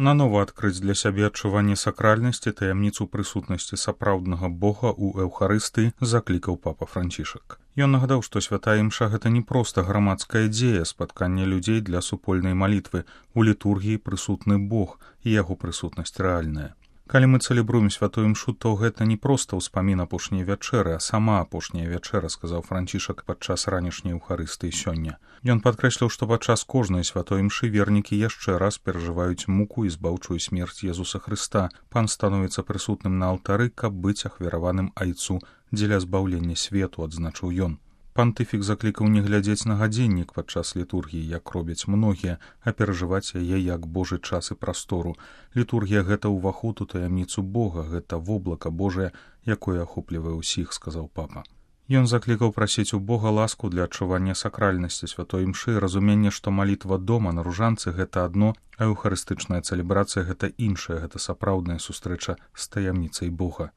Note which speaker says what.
Speaker 1: Нанова адкрыць для сябе адчуванне сакральнасці, таямніцу прысутнасці сапраўднага Бога ў эўхарыстыі заклікаў папа Францішак. Ён нагадаў, што святая імша гэта не проста грамадская дзея, спатканне людзей для супольнай малітвы. У літургіі прысутны Бог і яго прысутнасць рэальная. Калі мы цэлебруем святую імшу, то гэта не проста ўспамін апошняй вячэры, а сама апошняя вячэра, сказаў Францішак падчас ранішняй эўхарыстыі сёння. Ён падкрэсліў, што падчас кожнай святой імшы вернікі яшчэ раз перажываюць муку і збаўчую смерць Езуса Хрыста. Пан становіцца прысутным на алтары, каб быць ахвяраваным айцу дзеля збаўлення свету, адзначыў ён. Пантыфік заклікаў не глядзець на гадзіннік падчас літургіі, як робяць многія, а перажываць яе як Божы час і прастору. Літургія гэта ўваход у таямніцу Бога, гэта воблака Божае, якое ахоплівае ўсіх, сказаў папа. Ён заклікаў прасіць у Бога ласку для адчування сакральнасці святой імшы, разуменне, што малітва дома на ружанцы гэта адно, а эўхарыстычная цэлебрацыя гэта іншая, гэта сапраўдная сустрэча з таямніцай Бога.